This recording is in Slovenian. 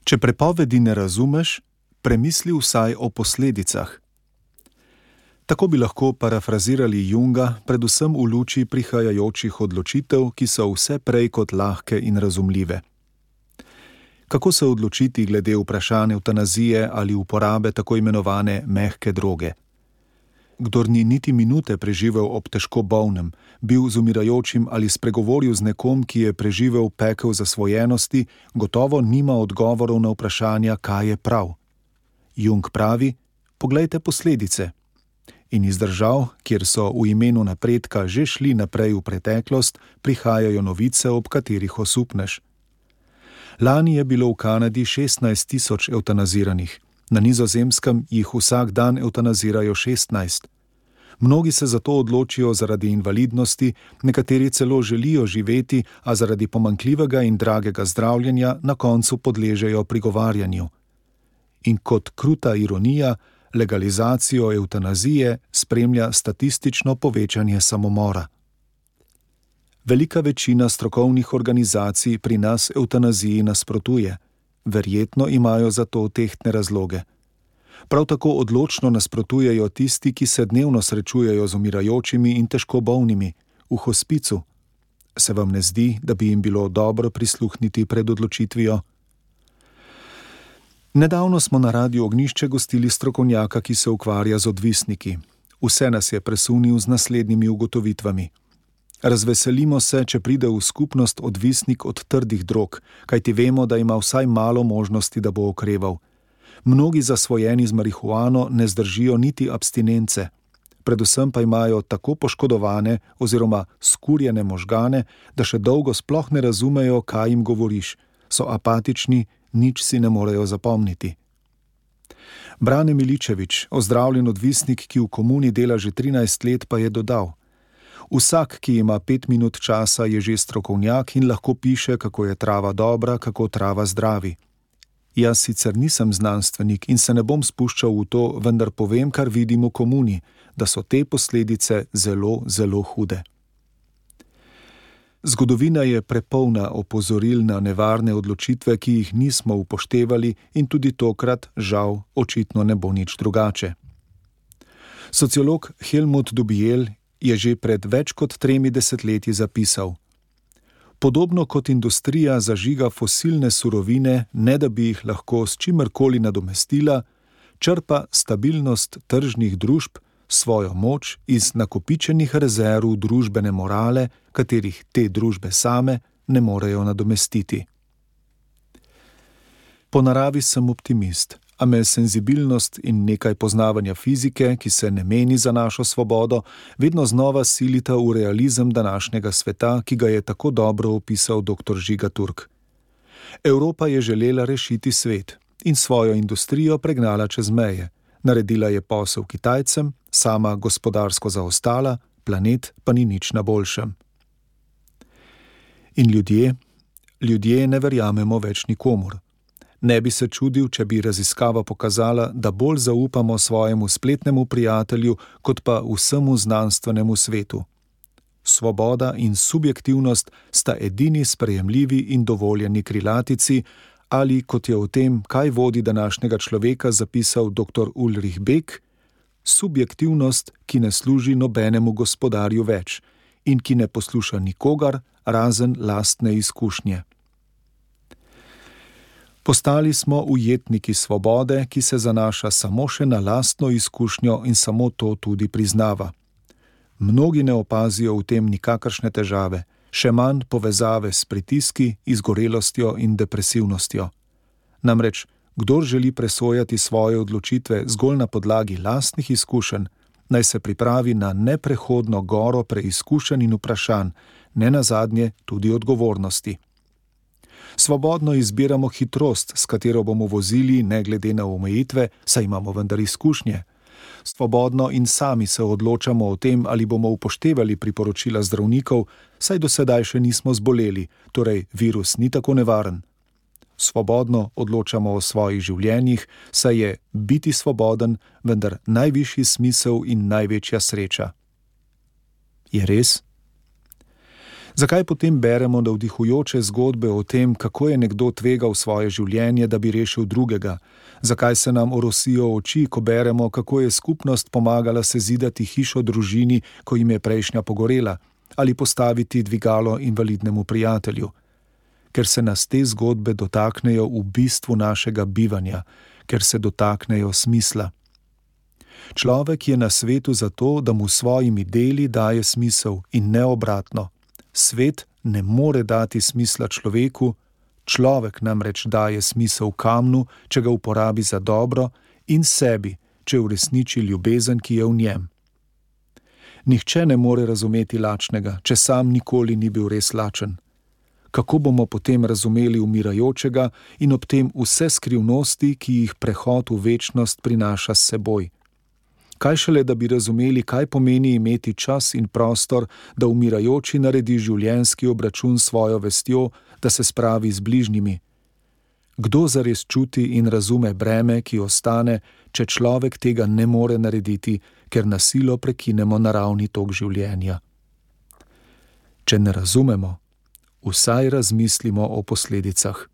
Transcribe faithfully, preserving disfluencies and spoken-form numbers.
Če prepovedi ne razumeš, premisli vsaj o posledicah. Tako bi lahko parafrazirali Junga, predvsem v luči prihajajočih odločitev, ki so vse prej kot lahke in razumljive. Kako se odločiti glede vprašanja evtanazije ali uporabe tako imenovane mehke droge? Kdor ni niti minute preživel ob težko bolnem, bil z umirajočim ali spregovoril z nekom, ki je preživel pekel zasvojenosti, gotovo nima odgovorov na vprašanja, kaj je prav. Jung pravi, poglejte posledice. In iz držav, kjer so v imenu napredka že šli naprej v preteklost, prihajajo novice, ob katerih osupneš. Lani je bilo v Kanadi šestnajst tisoč evtanaziranih, na Nizozemskem jih vsak dan evtanazirajo šestnajst. Mnogi se zato odločijo zaradi invalidnosti, nekateri celo želijo živeti, a zaradi pomanjkljivega in dragega zdravljenja na koncu podležejo prigovarjanju. In kot kruta ironija, legalizacijo evtanazije spremlja statistično povečanje samomora. Velika večina strokovnih organizacij pri nas evtanaziji nasprotuje. Verjetno imajo za to tehtne razloge. Prav tako odločno nasprotujejo tisti, ki se dnevno srečujejo z umirajočimi in težko bolnimi, v hospicu. Se vam ne zdi, da bi jim bilo dobro prisluhniti pred odločitvijo? Nedavno smo na Radiu Ognjišče gostili strokovnjaka, ki se ukvarja z odvisniki. Vse nas je presunil z naslednjimi ugotovitvami. Razveselimo se, če pride v skupnost odvisnik od trdih drog, kajti vemo, da ima vsaj malo možnosti, da bo okreval. Mnogi zasvojeni z marihuano ne zdržijo niti abstinence. Predvsem pa imajo tako poškodovane oziroma skurjene možgane, da še dolgo sploh ne razumejo, kaj jim govoriš. So apatični, nič si ne morejo zapomniti. Brane Miličevič, ozdravljen odvisnik, ki v komuni dela že trinajst let, pa je dodal: Vsak, ki ima pet minut časa, je že strokovnjak in lahko piše, kako je trava dobra, kako trava zdravi. Jaz sicer nisem znanstvenik in se ne bom spuščal v to, vendar povem, kar vidim v komuni, da so te posledice zelo, zelo hude. Zgodovina je prepolna opozoril na nevarne odločitve, ki jih nismo upoštevali, in tudi tokrat, žal, očitno ne bo nič drugače. Sociolog Helmut Dubiel je že pred več kot tremi desetletji zapisal: Podobno kot industrija zažiga fosilne surovine, ne da bi jih lahko s čimerkoli nadomestila, črpa stabilnost tržnih družb svojo moč iz nakopičenih rezerv družbene morale, katerih te družbe same ne morejo nadomestiti. Po naravi sem optimist, a me senzibilnost in nekaj poznavanja fizike, ki se ne meni za našo svobodo, vedno znova silita v realizem današnjega sveta, ki ga je tako dobro opisal doktor Žiga Turk. Evropa je želela rešiti svet in svojo industrijo pregnala čez meje. Naredila je posel Kitajcem, sama gospodarsko zaostala, planet pa ni nič na boljšem. In ljudje? Ljudje ne verjamemo več nikomur. Ne bi se čudil, če bi raziskava pokazala, da bolj zaupamo svojemu spletnemu prijatelju, kot pa vsemu znanstvenemu svetu. Svoboda in subjektivnost sta edini sprejemljivi in dovoljeni krilatici, ali, kot je o tem, kaj vodi današnjega človeka, zapisal doktor Ulrich Beck, subjektivnost, ki ne služi nobenemu gospodarju več in ki ne posluša nikogar, razen lastne izkušnje. Postali smo ujetniki svobode, ki se zanaša samo še na lastno izkušnjo in samo to tudi priznava. Mnogi ne opazijo v tem nikakršne težave, še manj povezave s pritiski, izgorelostjo in depresivnostjo. Namreč, kdor želi presojati svoje odločitve zgolj na podlagi lastnih izkušenj, naj se pripravi na neprehodno goro preizkušenj in vprašanj, ne nazadnje tudi odgovornosti. Svobodno izbiramo hitrost, s katero bomo vozili, ne glede na omejitve, saj imamo vendar izkušnje. Svobodno in sami se odločamo o tem, ali bomo upoštevali priporočila zdravnikov, saj do sedaj še nismo zboleli, torej virus ni tako nevaren. Svobodno odločamo o svojih življenjih, saj je biti svoboden vendar najvišji smisel in največja sreča. Je res? Zakaj potem beremo navdihujoče zgodbe o tem, kako je nekdo tvegal svoje življenje, da bi rešil drugega? Zakaj se nam orosijo oči, ko beremo, kako je skupnost pomagala sezidati hišo družini, ko jim je prejšnja pogorela, ali postaviti dvigalo invalidnemu prijatelju? Ker se nas te zgodbe dotaknejo v bistvu našega bivanja, ker se dotaknejo smisla. Človek je na svetu zato, da mu s svojimi deli daje smisel in ne obratno. Svet ne more dati smisla človeku, človek namreč daje smisel kamnu, če ga uporabi za dobro, in sebi, če uresniči ljubezen, ki je v njem. Nihče ne more razumeti lačnega, če sam nikoli ni bil res lačen. Kako bomo potem razumeli umirajočega in ob tem vse skrivnosti, ki jih prehod v večnost prinaša s seboj? Kaj šele, da bi razumeli, kaj pomeni imeti čas in prostor, da umirajoči naredi življenjski obračun s svojo vestjo, da se spravi z bližnjimi? Kdo zares čuti in razume breme, ki ostane, če človek tega ne more narediti, ker na silo prekinemo naravni tok življenja? Če ne razumemo, vsaj razmislimo o posledicah.